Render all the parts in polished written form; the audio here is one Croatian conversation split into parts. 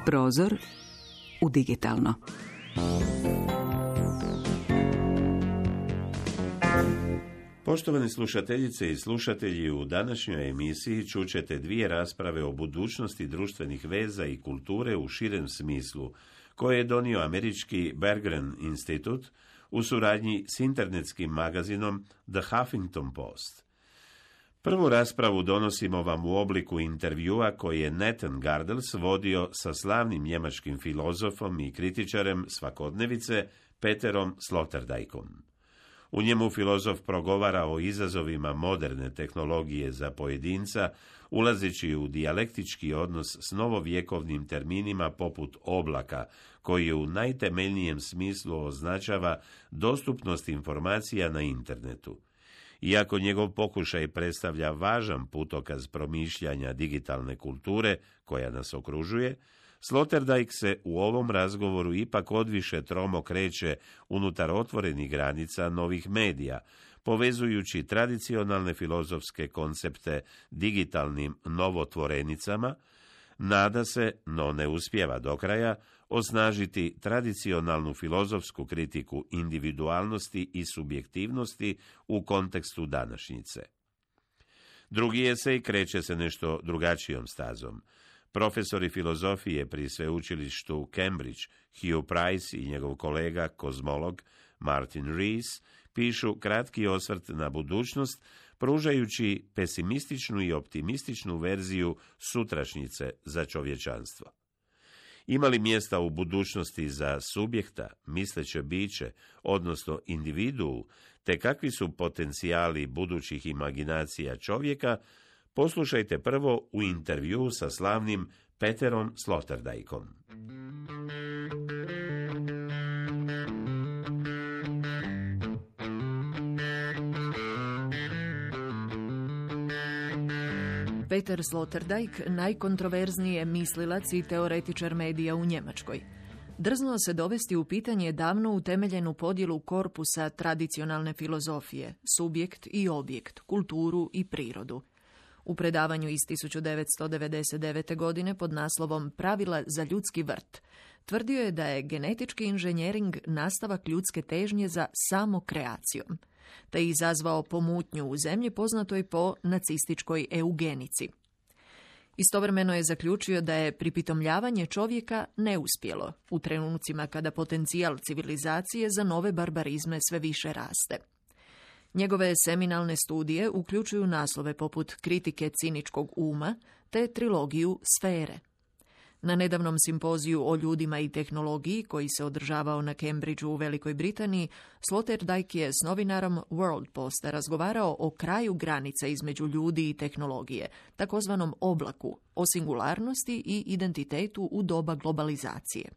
Prozor u digitalno. Poštovani slušateljice i slušatelji, u današnjoj emisiji čućete dvije rasprave o budućnosti društvenih veza i kulture u širem smislu, koje je donio američki Berggruen institut u suradnji s internetskim magazinom The Huffington Post. Prvu raspravu donosimo vam u obliku intervjua koji je Nathan Gardels vodio sa slavnim njemačkim filozofom i kritičarem svakodnevice Peterom Sloterdijkom. U njemu filozof progovara o izazovima moderne tehnologije za pojedinca, ulazeći u dijalektički odnos s novovjekovnim terminima poput oblaka, koji u najtemeljnijem smislu označava dostupnost informacija na internetu. Iako njegov pokušaj predstavlja važan putokaz promišljanja digitalne kulture koja nas okružuje, Sloterdijk se u ovom razgovoru ipak odviše tromo kreće unutar otvorenih granica novih medija, povezujući tradicionalne filozofske koncepte digitalnim novotvorenicama, nada se, no ne uspijeva do kraja, osnažiti tradicionalnu filozofsku kritiku individualnosti i subjektivnosti u kontekstu današnjice. Drugi esej kreće se nešto drugačijom stazom. Profesori filozofije pri sveučilištu u Cambridge, Hugh Price i njegov kolega, kozmolog Martin Rees, pišu kratki osvrt na budućnost, pružajući pesimističnu i optimističnu verziju sutrašnjice za čovječanstvo. Ima li mjesta u budućnosti za subjekta, misleće biće, odnosno individuu, te kakvi su potencijali budućih imaginacija čovjeka, poslušajte prvo u intervju sa slavnim Peterom Sloterdijkom. Peter Sloterdijk najkontroverzniji je mislilac i teoretičar medija u Njemačkoj. Drznuo se dovesti u pitanje davno utemeljenu podjelu korpusa tradicionalne filozofije, subjekt i objekt, kulturu i prirodu. U predavanju iz 1999. godine pod naslovom Pravila za ljudski vrt tvrdio je da je genetički inženjering nastavak ljudske težnje za samokreacijom, te izazvao pomutnju u zemlji poznatoj po nacističkoj eugenici. Istovremeno je zaključio da je pripitomljavanje čovjeka neuspjelo u trenucima kada potencijal civilizacije za nove barbarizme sve više raste. Njegove seminalne studije uključuju naslove poput Kritike ciničkog uma te trilogiju Sfere. Na nedavnom simpoziju o ljudima i tehnologiji, koji se održavao na Cambridgeu u Velikoj Britaniji, Sloterdijk je s novinarom World Posta razgovarao o kraju granice između ljudi i tehnologije, takozvanom oblaku, o singularnosti i identitetu u doba globalizacije.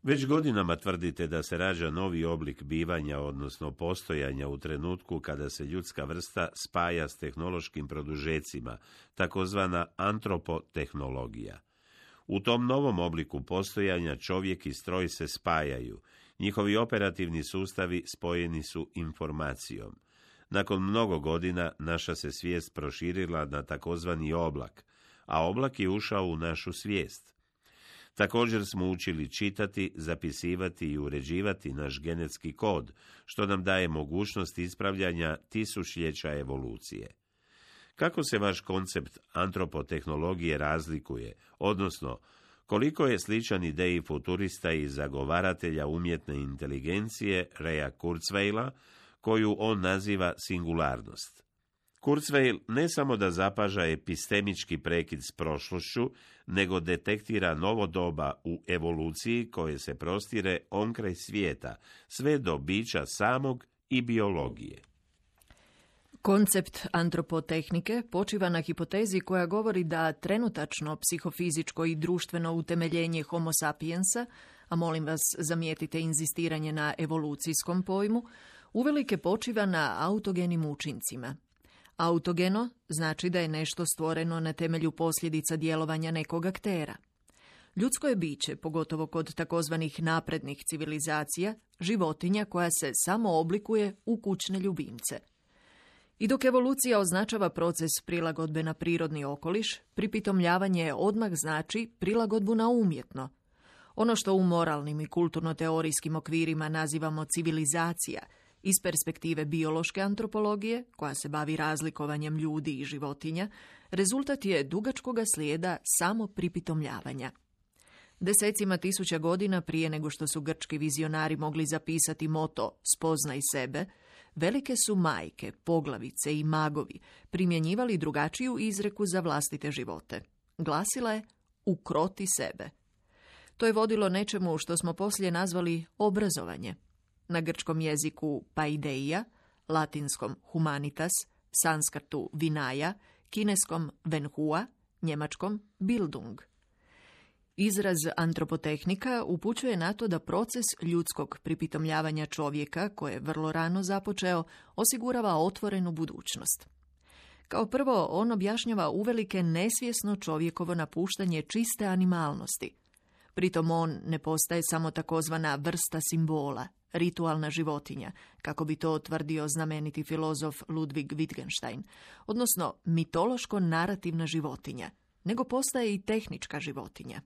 Već godinama tvrdite da se rađa novi oblik bivanja, odnosno postojanja u trenutku kada se ljudska vrsta spaja s tehnološkim produžecima, takozvana antropotehnologija. U tom novom obliku postojanja čovjek i stroj se spajaju, njihovi operativni sustavi spojeni su informacijom. Nakon mnogo godina naša se svijest proširila na takozvani oblak, a oblak je ušao u našu svijest. Također smo učili čitati, zapisivati i uređivati naš genetski kod, što nam daje mogućnost ispravljanja tisućljeća evolucije. Kako se vaš koncept antropotehnologije razlikuje, odnosno koliko je sličan ideji futurista i zagovaratelja umjetne inteligencije Raya Kurzweila, koju on naziva singularnost? Kurzweil ne samo da zapaža epistemički prekid s prošlošću, nego detektira novo doba u evoluciji koje se prostire onkraj svijeta, sve do bića samog i biologije. Koncept antropotehnike počiva na hipotezi koja govori da trenutačno psihofizičko i društveno utemeljenje homo sapiensa, a molim vas zamijetite inzistiranje na evolucijskom pojmu, uvelike počiva na autogenim učincima. Autogeno znači da je nešto stvoreno na temelju posljedica djelovanja nekog aktera. Ljudsko je biće, pogotovo kod takozvanih naprednih civilizacija, životinja koja se samo oblikuje u kućne ljubimce. I dok evolucija označava proces prilagodbe na prirodni okoliš, pripitomljavanje odmah znači prilagodbu na umjetno. Ono što u moralnim i kulturno-teorijskim okvirima nazivamo civilizacija, iz perspektive biološke antropologije, koja se bavi razlikovanjem ljudi i životinja, rezultat je dugačkoga slijeda samo pripitomljavanja. Desecima tisuća godina prije nego što su grčki vizionari mogli zapisati moto "Spoznaj sebe", velike su majke, poglavice i magovi primjenjivali drugačiju izreku za vlastite živote. Glasila je "Ukroti sebe". To je vodilo nečemu što smo poslije nazvali obrazovanje. Na grčkom jeziku paideia, latinskom humanitas, sanskrtu vinaja, kineskom venhua, njemačkom bildung. Izraz antropotehnika upućuje na to da proces ljudskog pripitomljavanja čovjeka, koje je vrlo rano započeo, osigurava otvorenu budućnost. Kao prvo, on objašnjava uvelike nesvjesno čovjekovo napuštanje čiste animalnosti. Pritom on ne postaje samo takozvana vrsta simbola, ritualna životinja, kako bi to tvrdio znameniti filozof Ludwig Wittgenstein, odnosno mitološko-narativna životinja, nego postaje i tehnička životinja.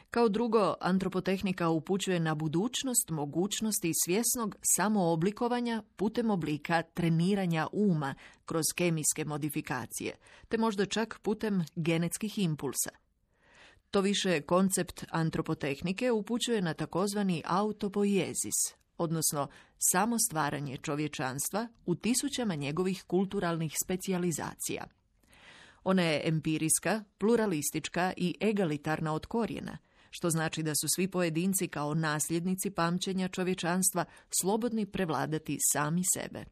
Kao drugo, antropotehnika upućuje na budućnost mogućnosti svjesnog samooblikovanja putem oblika treniranja uma kroz kemijske modifikacije, te možda čak putem genetskih impulsa. To više koncept antropotehnike upućuje na takozvani autopoiezis, odnosno samo stvaranje čovječanstva u tisućama njegovih kulturalnih specijalizacija. Ona je empirijska, pluralistička i egalitarna od korijena, što znači da su svi pojedinci kao nasljednici pamćenja čovječanstva slobodni prevladati sami sebe.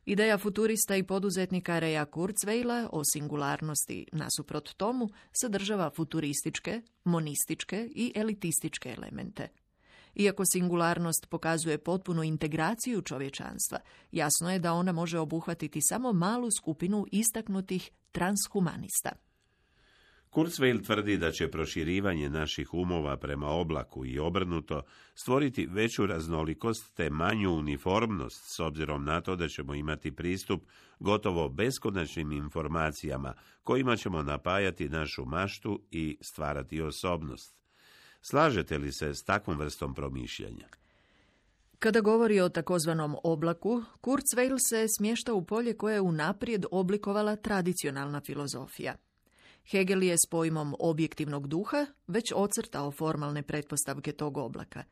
Ideja futurista i poduzetnika Raya Kurzweila o singularnosti nasuprot tomu sadržava futurističke, monističke i elitističke elemente. Iako singularnost pokazuje potpunu integraciju čovječanstva, jasno je da ona može obuhvatiti samo malu skupinu istaknutih transhumanista. Kurzweil tvrdi da će proširivanje naših umova prema oblaku i obrnuto stvoriti veću raznolikost te manju uniformnost s obzirom na to da ćemo imati pristup gotovo beskonačnim informacijama kojima ćemo napajati našu maštu i stvarati osobnost. Slažete li se s takvom vrstom promišljanja? Kada govori o takozvanom oblaku, Kurzweil se smješta u polje koje je unaprijed oblikovala tradicionalna filozofija. Hegel je s pojmom objektivnog duha već ocrtao formalne pretpostavke tog oblaka.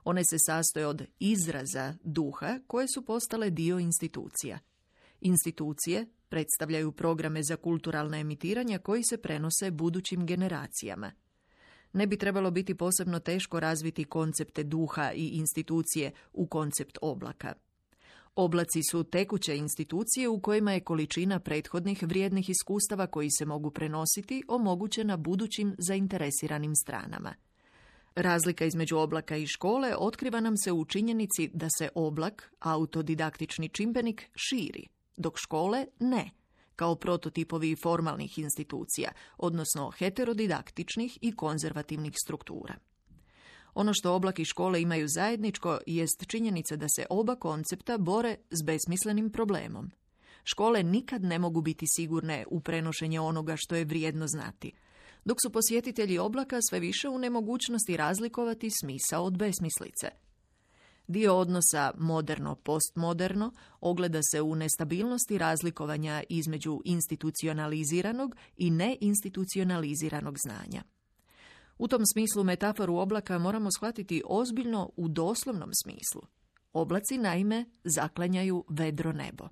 One se sastoje od izraza duha koje su postale dio institucija. Institucije predstavljaju programe za kulturalna emitiranja koji se prenose budućim generacijama. Ne bi trebalo biti posebno teško razviti koncepte duha i institucije u koncept oblaka. Oblaci su tekuće institucije u kojima je količina prethodnih vrijednih iskustava koji se mogu prenositi omogućena budućim zainteresiranim stranama. Razlika između oblaka i škole otkriva nam se u činjenici da se oblak, autodidaktični čimbenik, širi, dok škole ne, kao prototipovi formalnih institucija, odnosno heterodidaktičnih i konzervativnih struktura. Ono što oblak i škole imaju zajedničko jest činjenica da se oba koncepta bore s besmislenim problemom. Škole nikad ne mogu biti sigurne u prenošenje onoga što je vrijedno znati, dok su posjetitelji oblaka sve više u nemogućnosti razlikovati smisao od besmislice. Dio odnosa moderno-postmoderno ogleda se u nestabilnosti razlikovanja između institucionaliziranog i neinstitucionaliziranog znanja. U tom smislu metaforu oblaka moramo shvatiti ozbiljno u doslovnom smislu. Oblaci, naime, zaklanjaju vedro nebo.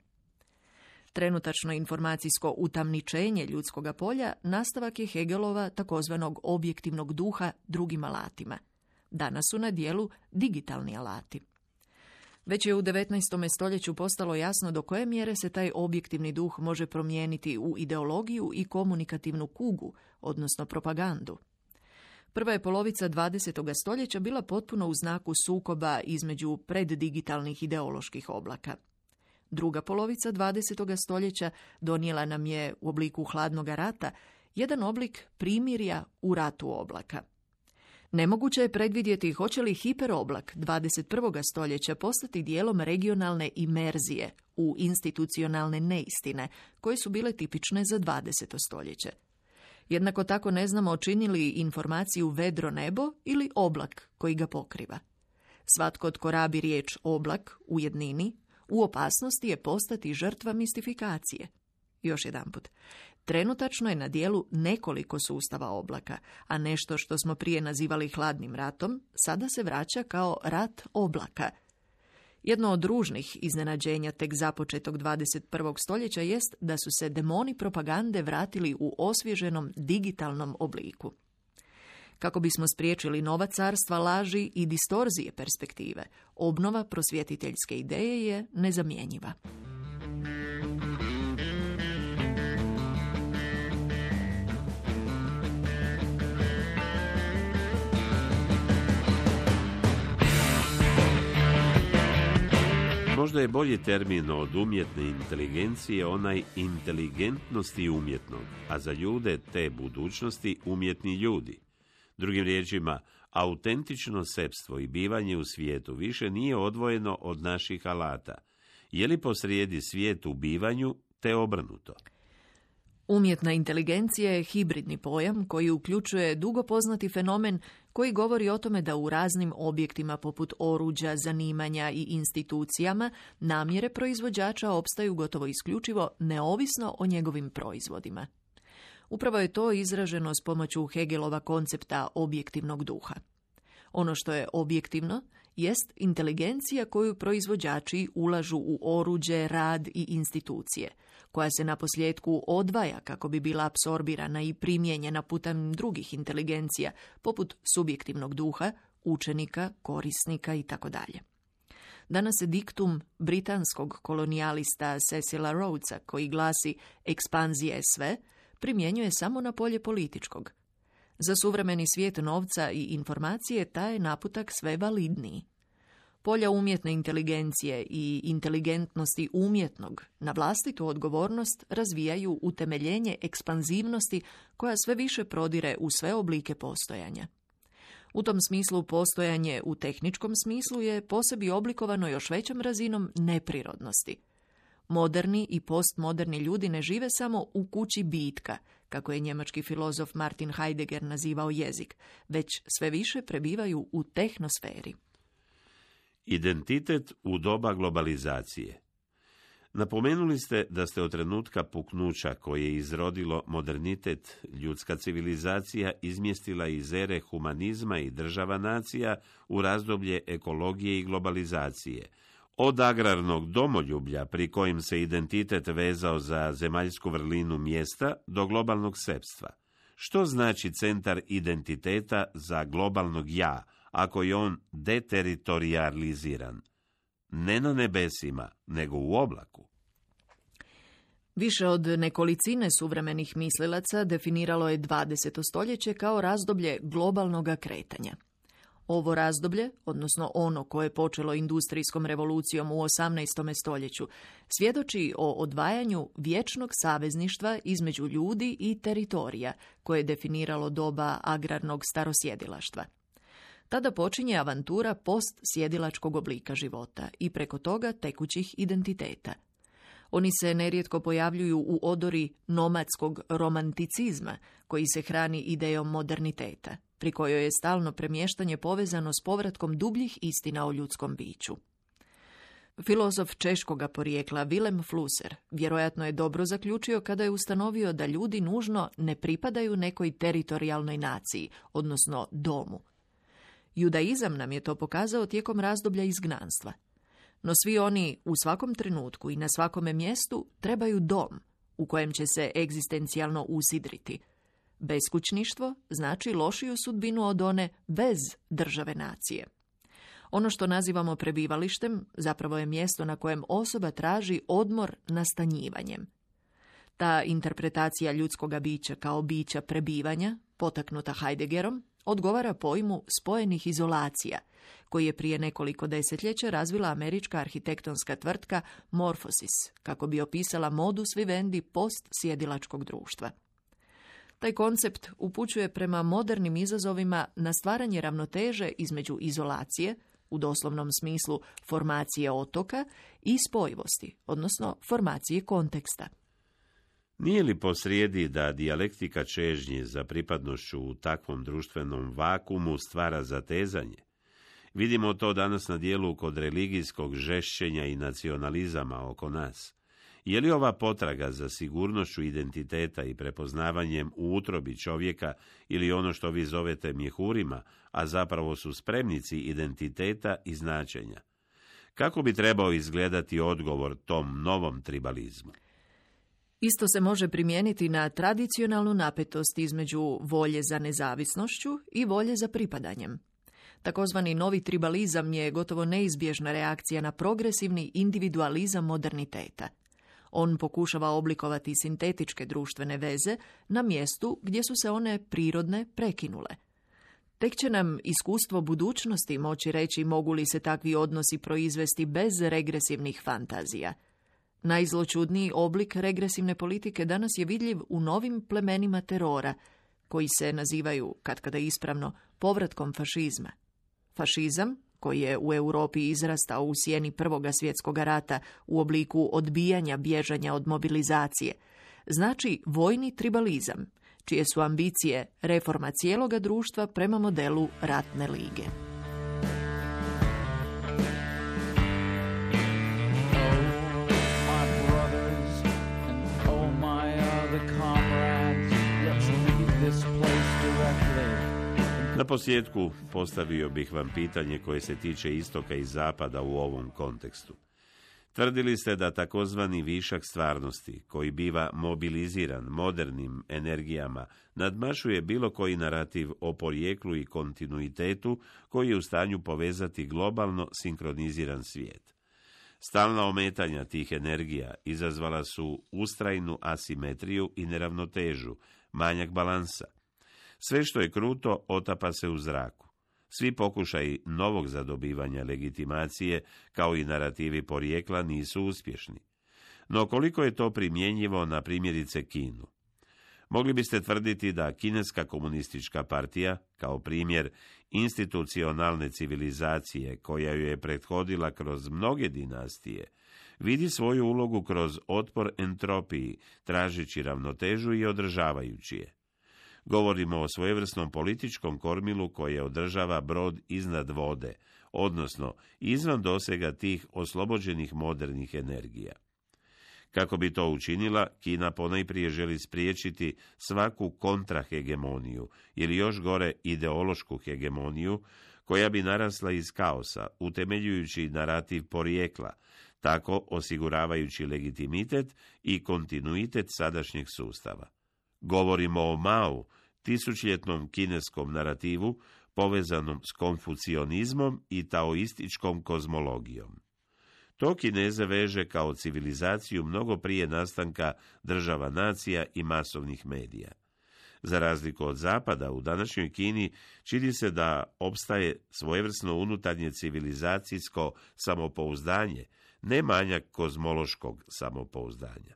Trenutačno informacijsko utamničenje ljudskoga polja nastavak je Hegelova takozvanog objektivnog duha drugim alatima. Danas su na dijelu digitalni alati. Već je u 19. stoljeću postalo jasno do koje mjere se taj objektivni duh može promijeniti u ideologiju i komunikativnu kugu, odnosno propagandu. Prva je polovica 20. stoljeća bila potpuno u znaku sukoba između preddigitalnih ideoloških oblaka. Druga polovica 20. stoljeća donijela nam je u obliku hladnog rata jedan oblik primirja u ratu oblaka. Nemoguće je predvidjeti hoće li hiperoblak 21. stoljeća postati dijelom regionalne imerzije u institucionalne neistine, koje su bile tipične za 20. stoljeće. Jednako tako ne znamo čini li informaciju vedro nebo ili oblak koji ga pokriva. Svatko tko rabi riječ oblak u jednini, u opasnosti je postati žrtva mistifikacije. Još jedanput. Trenutačno je na dijelu nekoliko sustava oblaka, a nešto što smo prije nazivali hladnim ratom, sada se vraća kao rat oblaka. Jedno od ružnih iznenađenja tek započetog 21. stoljeća jest da su se demoni propagande vratili u osvježenom digitalnom obliku. Kako bismo spriječili nova carstva laži i distorzije perspektive, obnova prosvjetiteljske ideje je nezamjenjiva. Možda je bolji termin od umjetne inteligencije onaj inteligentnosti umjetnog, a za ljude te budućnosti umjetni ljudi. Drugim riječima, autentično sepstvo i bivanje u svijetu više nije odvojeno od naših alata. Je li posrijedi svijet u bivanju, te obrnuto? Umjetna inteligencija je hibridni pojam koji uključuje dugo poznati fenomen koji govori o tome da u raznim objektima poput oruđa, zanimanja i institucijama namjere proizvođača opstaju gotovo isključivo neovisno o njegovim proizvodima. Upravo je to izraženo s pomoću Hegelova koncepta objektivnog duha. Ono što je objektivno jest inteligencija koju proizvođači ulažu u oruđe, rad i institucije, koja se naposljetku odvaja kako bi bila apsorbirana i primijenjena putem drugih inteligencija, poput subjektivnog duha, učenika, korisnika itd. Danas se diktum britanskog kolonijalista Cecila Rhodesa, koji glasi ekspanzija je sve, primjenjuje samo na polje političkog. Za suvremeni svijet novca i informacije taj je naputak sve validniji. Polja umjetne inteligencije i inteligentnosti umjetnog na vlastitu odgovornost razvijaju utemeljenje ekspanzivnosti koja sve više prodire u sve oblike postojanja. U tom smislu postojanje u tehničkom smislu je posebi oblikovano još većom razinom neprirodnosti. Moderni i postmoderni ljudi ne žive samo u kući bitka, kako je njemački filozof Martin Heidegger nazivao jezik, već sve više prebivaju u tehnosferi. Identitet u doba globalizacije. Napomenuli ste da ste od trenutka puknuća koje je izrodilo modernitet, ljudska civilizacija izmjestila iz ere humanizma i država nacija u razdoblje ekologije i globalizacije. Od agrarnog domoljublja pri kojem se identitet vezao za zemaljsku vrlinu mjesta do globalnog sepstva. Što znači centar identiteta za globalnog ja, ako je on deteritorijaliziran? Ne na nebesima, nego u oblaku. Više od nekolicine suvremenih mislilaca definiralo je 20. stoljeće kao razdoblje globalnog kretanja. Ovo razdoblje, odnosno ono koje je počelo industrijskom revolucijom u 18. stoljeću, svjedoči o odvajanju vječnog savezništva između ljudi i teritorija, koje je definiralo doba agrarnog starosjedilaštva. Tada počinje avantura postsjedilačkog oblika života i preko toga tekućih identiteta. Oni se nerijetko pojavljuju u odori nomadskog romanticizma, koji se hrani idejom moderniteta, pri kojoj je stalno premještanje povezano s povratkom dubljih istina o ljudskom biću. Filozof češkoga porijekla Willem Flusser vjerojatno je dobro zaključio kada je ustanovio da ljudi nužno ne pripadaju nekoj teritorijalnoj naciji, odnosno domu. Judaizam nam je to pokazao tijekom razdoblja izgnanstva. No svi oni u svakom trenutku i na svakome mjestu trebaju dom u kojem će se egzistencijalno usidriti. Beskućništvo znači lošiju sudbinu od one bez države nacije. Ono što nazivamo prebivalištem zapravo je mjesto na kojem osoba traži odmor nastanjivanjem. Ta interpretacija ljudskoga bića kao bića prebivanja, potaknuta Heideggerom, odgovara pojmu spojenih izolacija, koji je prije nekoliko desetljeća razvila američka arhitektonska tvrtka Morphosis, kako bi opisala modus vivendi postsjedilačkog društva. Taj koncept upućuje prema modernim izazovima na stvaranje ravnoteže između izolacije, u doslovnom smislu formacije otoka, i spojivosti, odnosno formacije konteksta. Nije li posrijedi da dijalektika čežnje za pripadnošću u takvom društvenom vakuumu stvara zatezanje? Vidimo to danas na dijelu kod religijskog žešćenja i nacionalizama oko nas. Je li ova potraga za sigurnošću identiteta i prepoznavanjem u utrobi čovjeka ili ono što vi zovete mjehurima, a zapravo su spremnici identiteta i značenja? Kako bi trebao izgledati odgovor tom novom tribalizmu? Isto se može primijeniti na tradicionalnu napetost između volje za nezavisnošću i volje za pripadanjem. Takozvani novi tribalizam je gotovo neizbježna reakcija na progresivni individualizam moderniteta. On pokušava oblikovati sintetičke društvene veze na mjestu gdje su se one prirodne prekinule. Tek će nam iskustvo budućnosti moći reći mogu li se takvi odnosi proizvesti bez regresivnih fantazija. Najzločudniji oblik regresivne politike danas je vidljiv u novim plemenima terora, koji se nazivaju, katkada ispravno, povratkom fašizma. Fašizam, koji je u Europi izrastao u sjeni Prvoga svjetskog rata u obliku odbijanja bježanja od mobilizacije, znači vojni tribalizam, čije su ambicije reforma cijeloga društva prema modelu ratne lige. Na posljedku postavio bih vam pitanje koje se tiče istoka i zapada u ovom kontekstu. Tvrdili ste da takozvani višak stvarnosti, koji biva mobiliziran modernim energijama, nadmašuje bilo koji narativ o porijeklu i kontinuitetu koji je u stanju povezati globalno sinkroniziran svijet. Stalna ometanja tih energija izazvala su ustrajnu asimetriju i neravnotežu, manjak balansa. Sve što je kruto otapa se u zraku. Svi pokušaji novog zadobivanja legitimacije, kao i narativi porijekla, nisu uspješni. No koliko je to primjenjivo na primjerice Kinu? Mogli biste tvrditi da Kineska komunistička partija, kao primjer institucionalne civilizacije koja ju je prethodila kroz mnoge dinastije, vidi svoju ulogu kroz otpor entropiji, tražeći ravnotežu i održavajući je. Govorimo o svojevrsnom političkom kormilu koje održava brod iznad vode, odnosno izvan dosega tih oslobođenih modernih energija. Kako bi to učinila, Kina ponajprije želi spriječiti svaku kontrahegemoniju ili još gore ideološku hegemoniju koja bi narasla iz kaosa, utemeljujući narativ porijekla, tako osiguravajući legitimitet i kontinuitet sadašnjeg sustava. Govorimo o Mao, tisućljetnom kineskom narativu povezanom s konfucionizmom i taoističkom kozmologijom. To Kineze veže kao civilizaciju mnogo prije nastanka država nacija i masovnih medija. Za razliku od Zapada, u današnjoj Kini čini se da opstaje svojevrsno unutarnje civilizacijsko samopouzdanje, ne manjak kozmološkog samopouzdanja.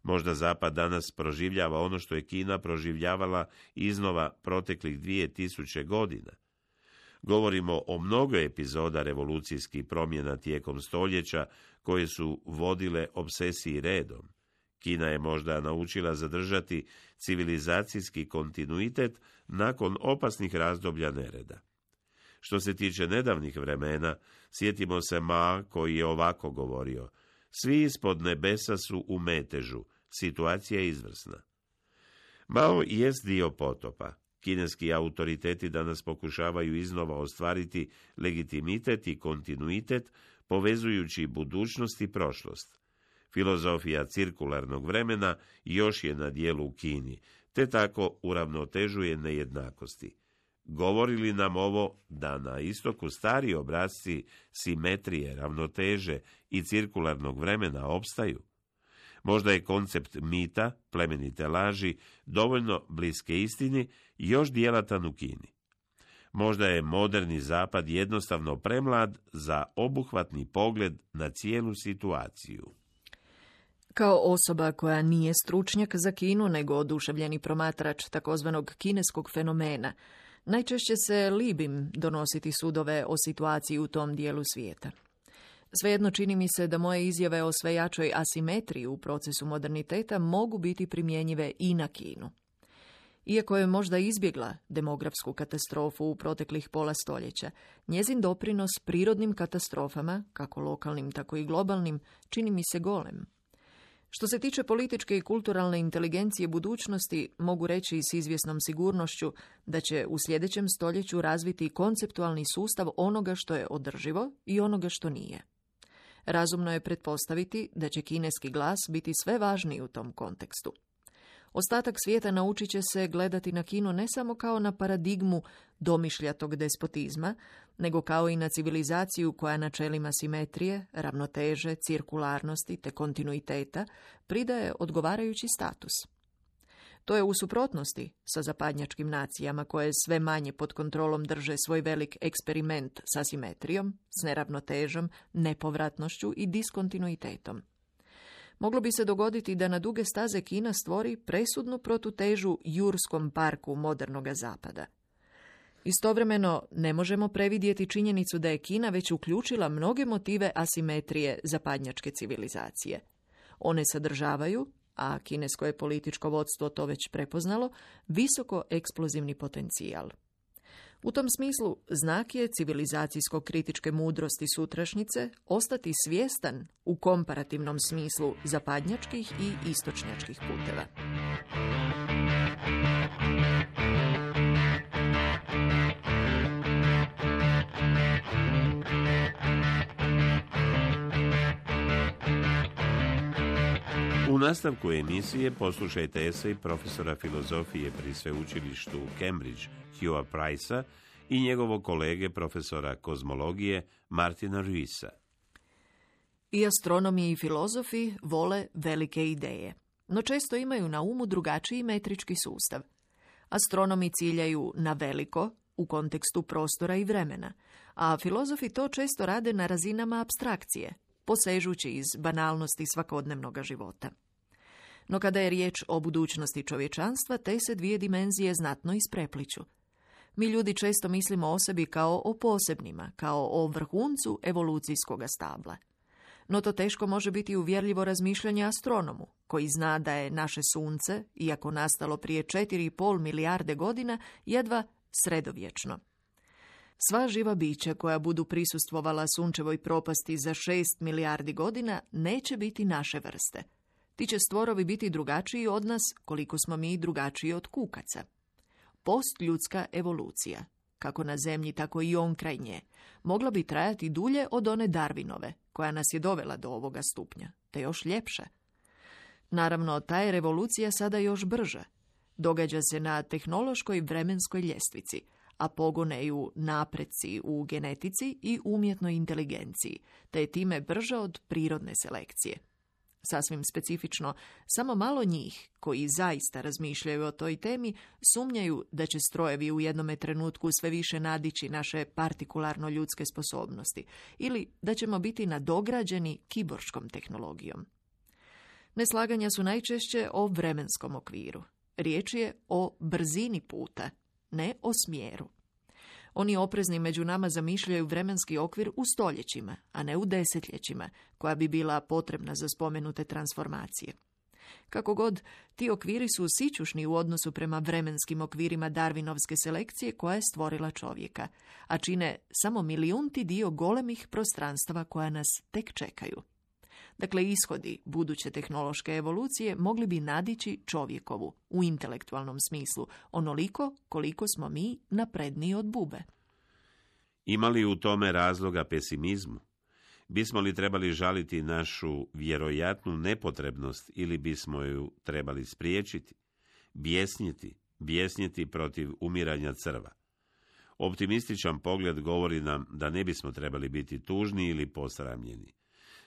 Možda Zapad danas proživljava ono što je Kina proživljavala iznova proteklih 2000 godina. Govorimo o mnogo epizoda revolucijskih promjena tijekom stoljeća koje su vodile obsesiji redom. Kina je možda naučila zadržati civilizacijski kontinuitet nakon opasnih razdoblja nereda. Što se tiče nedavnih vremena, sjetimo se Ma koji je ovako govorio: svi ispod nebesa su u metežu, situacija je izvrsna. Mao jest dio potopa. Kineski autoriteti danas pokušavaju iznova ostvariti legitimitet i kontinuitet, povezujući budućnost i prošlost. Filozofija cirkularnog vremena još je na dijelu u Kini, te tako uravnotežuje nejednakosti. Govori li nam ovo da na istoku stari obrasci simetrije, ravnoteže i cirkularnog vremena opstaju? Možda je koncept mita, plemenite laži, dovoljno bliske istini i još djelatan u Kini. Možda je moderni zapad jednostavno premlad za obuhvatni pogled na cijelu situaciju. Kao osoba koja nije stručnjak za Kinu, nego oduševljeni promatrač takozvanog kineskog fenomena, najčešće se libim donositi sudove o situaciji u tom dijelu svijeta. Svejedno čini mi se da moje izjave o sve jačoj asimetriji u procesu moderniteta mogu biti primjenjive i na Kinu. Iako je možda izbjegla demografsku katastrofu u proteklih pola stoljeća, njezin doprinos prirodnim katastrofama, kako lokalnim tako i globalnim, čini mi se golem. Što se tiče političke i kulturalne inteligencije budućnosti, mogu reći s izvjesnom sigurnošću da će u sljedećem stoljeću razviti konceptualni sustav onoga što je održivo i onoga što nije. Razumno je pretpostaviti da će kineski glas biti sve važniji u tom kontekstu. Ostatak svijeta naučit će se gledati na Kinu ne samo kao na paradigmu domišljatog despotizma, nego kao i na civilizaciju koja načelima simetrije, ravnoteže, cirkularnosti te kontinuiteta pridaje odgovarajući status. To je u suprotnosti sa zapadnjačkim nacijama koje sve manje pod kontrolom drže svoj velik eksperiment sa simetrijom, s neravnotežom, nepovratnošću i diskontinuitetom. Moglo bi se dogoditi da na duge staze Kina stvori presudnu protutežu jurskom parku modernoga zapada. Istovremeno, ne možemo previdjeti činjenicu da je Kina već uključila mnoge motive asimetrije zapadnjačke civilizacije. One sadržavaju, a kinesko je političko vodstvo to već prepoznalo, visoko eksplozivni potencijal. U tom smislu, znak je civilizacijsko-kritičke mudrosti sutrašnjice ostati svjestan u komparativnom smislu zapadnjačkih i istočnjačkih puteva. U nastavku emisije poslušajte esej profesora filozofije pri sveučilištu u Cambridge, Hugh'a Price'a i njegovog kolege profesora kozmologije Martina Ruissa. I astronomi i filozofi vole velike ideje, no često imaju na umu drugačiji metrički sustav. Astronomi ciljaju na veliko u kontekstu prostora i vremena, a filozofi to često rade na razinama apstrakcije, posežući iz banalnosti svakodnevnog života. No kada je riječ o budućnosti čovječanstva, te se dvije dimenzije znatno isprepliću. Mi ljudi često mislimo o sebi kao o posebnima, kao o vrhuncu evolucijskog stabla. No to teško može biti uvjerljivo razmišljanje astronomu, koji zna da je naše sunce, iako nastalo prije 4,5 milijarde godina, jedva sredovječno. Sva živa bića koja budu prisustvovala sunčevoj propasti za 6 milijardi godina neće biti naše vrste. Ti će stvorovi biti drugačiji od nas koliko smo mi drugačiji od kukaca. Postljudska evolucija, kako na zemlji tako i onkraj nje, mogla bi trajati dulje od one Darwinove, koja nas je dovela do ovoga stupnja, te još ljepše. Naravno, ta je revolucija sada još brža. Događa se na tehnološkoj vremenskoj ljestvici, a pogone ju napreci u genetici i umjetnoj inteligenciji, te je time brža od prirodne selekcije. Sasvim specifično, samo malo njih, koji zaista razmišljaju o toj temi, sumnjaju da će strojevi u jednome trenutku sve više nadići naše partikularno ljudske sposobnosti ili da ćemo biti nadograđeni kiborškom tehnologijom. Neslaganja su najčešće o vremenskom okviru. Riječ je o brzini puta, ne o smjeru. Oni oprezni među nama zamišljaju vremenski okvir u stoljećima, a ne u desetljećima, koja bi bila potrebna za spomenute transformacije. Kako god, ti okviri su sićušni u odnosu prema vremenskim okvirima darwinovske selekcije koja je stvorila čovjeka, a čine samo milijunti dio golemih prostranstava koja nas tek čekaju. Dakle, ishodi buduće tehnološke evolucije mogli bi nadići čovjekovu, u intelektualnom smislu, onoliko koliko smo mi napredniji od bube. Ima li u tome razloga pesimizmu? Bismo li trebali žaliti našu vjerojatnu nepotrebnost ili bismo ju trebali spriječiti? Bijesniti protiv umiranja crva. Optimističan pogled govori nam da ne bismo trebali biti tužni ili posramljeni.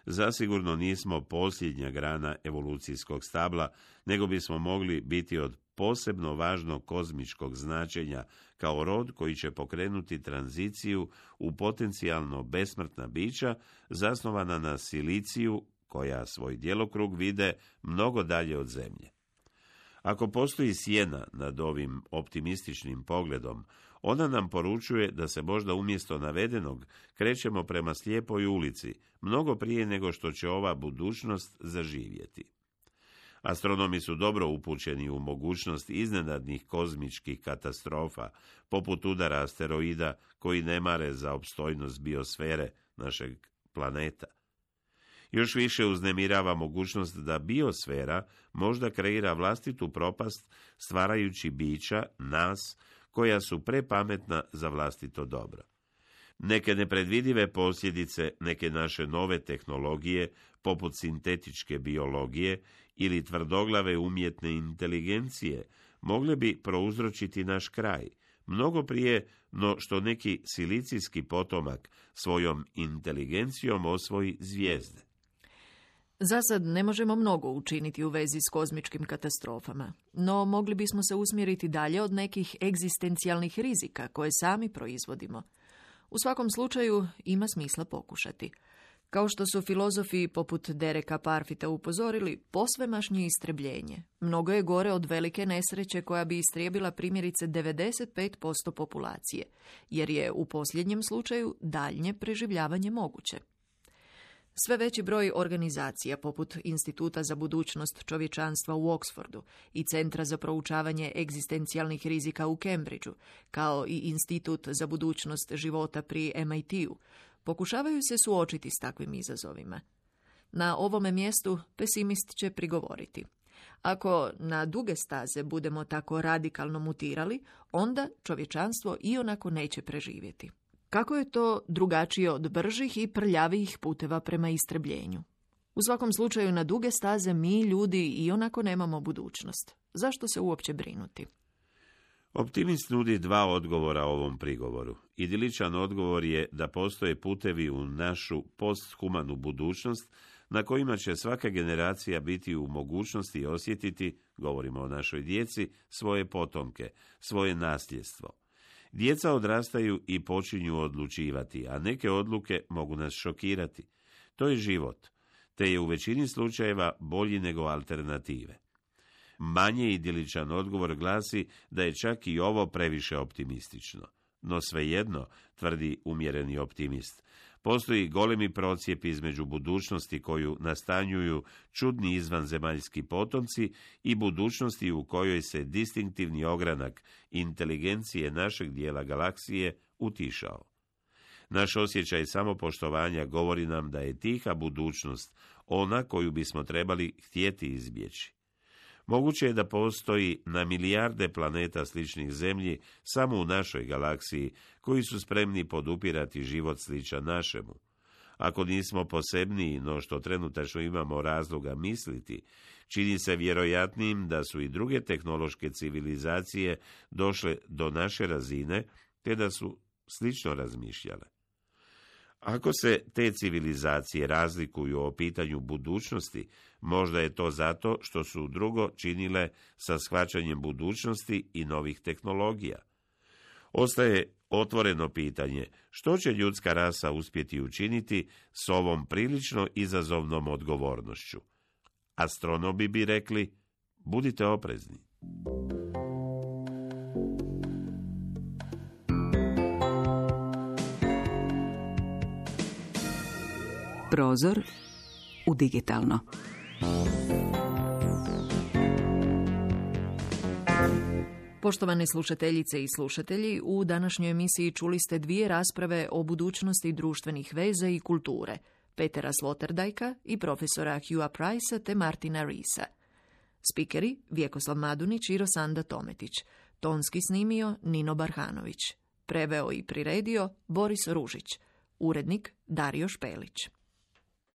Zasigurno nismo posljednja grana evolucijskog stabla, nego bismo mogli biti od posebno važnog kozmičkog značenja kao rod koji će pokrenuti tranziciju u potencijalno besmrtna bića zasnovana na siliciju koja svoj djelokrug vide mnogo dalje od zemlje. Ako postoji sjena nad ovim optimističnim pogledom, ona nam poručuje da se možda umjesto navedenog krećemo prema slijepoj ulici, mnogo prije nego što će ova budućnost zaživjeti. Astronomi su dobro upućeni u mogućnost iznenadnih kozmičkih katastrofa, poput udara asteroida koji ne mare za opstojnost biosfere našeg planeta. Još više uznemirava mogućnost da biosfera možda kreira vlastitu propast stvarajući bića, nas, koja su prepametna za vlastito dobro. Neke nepredvidive posljedice, neke naše nove tehnologije, poput sintetičke biologije ili tvrdoglave umjetne inteligencije, mogle bi prouzročiti naš kraj, mnogo prije no što neki silicijski potomak svojom inteligencijom osvoji zvijezde. Zasad ne možemo mnogo učiniti u vezi s kozmičkim katastrofama, no mogli bismo se usmjeriti dalje od nekih egzistencijalnih rizika koje sami proizvodimo. U svakom slučaju ima smisla pokušati. Kao što su filozofi poput Dereka Parfita upozorili, posvemašnje istrebljenje mnogo je gore od velike nesreće koja bi istrijebila primjerice 95% populacije, jer je u posljednjem slučaju daljnje preživljavanje moguće. Sve veći broj organizacija, poput Instituta za budućnost čovječanstva u Oxfordu i Centra za proučavanje egzistencijalnih rizika u Cambridgeu, kao i Institut za budućnost života pri MIT-u, pokušavaju se suočiti s takvim izazovima. Na ovome mjestu pesimist će prigovoriti: ako na duge staze budemo tako radikalno mutirali, onda čovječanstvo ionako neće preživjeti. Kako je to drugačije od bržih i prljavijih puteva prema istrebljenju? U svakom slučaju, na duge staze mi, ljudi, ionako nemamo budućnost. Zašto se uopće brinuti? Optimist nudi dva odgovora ovom prigovoru. Idiličan odgovor je da postoje putevi u našu posthumanu budućnost na kojima će svaka generacija biti u mogućnosti osjetiti, govorimo o našoj djeci, svoje potomke, svoje nasljedstvo. Djeca odrastaju i počinju odlučivati, a neke odluke mogu nas šokirati. To je život, te je u većini slučajeva bolji nego alternative. Manje idiličan odgovor glasi da je čak i ovo previše optimistično. No svejedno, tvrdi umjereni optimist, postoji golemi procijep između budućnosti koju nastanjuju čudni izvanzemaljski potomci i budućnosti u kojoj se distinktivni ogranak inteligencije našeg dijela galaksije utišao. Naš osjećaj samopoštovanja govori nam da je tiha budućnost ona koju bismo trebali htjeti izbjeći. Moguće je da postoji na milijarde planeta sličnih Zemlji samo u našoj galaksiji koji su spremni podupirati život sličan našemu. Ako nismo posebniji no što trenutačno imamo razloga misliti, čini se vjerojatnijim da su i druge tehnološke civilizacije došle do naše razine te da su slično razmišljale. Ako se te civilizacije razlikuju o pitanju budućnosti, možda je to zato što su drugo činile sa shvaćanjem budućnosti i novih tehnologija. Ostaje otvoreno pitanje što će ljudska rasa uspjeti učiniti s ovom prilično izazovnom odgovornošću. Astronomi bi rekli, budite oprezni. Prozor u digitalno. Poštovane slušateljice i slušatelji, u današnjoj emisiji čuli ste dvije rasprave o budućnosti društvenih veza i kulture, Petera Sloterdajka i profesora Hughea Pricea te Martina Reesa. Spikeri Vjekoslav Madunić i Rosanda Tometić. Tonski snimio Nino Barhanović. Preveo i priredio Boris Ružić. Urednik Dario Špelić.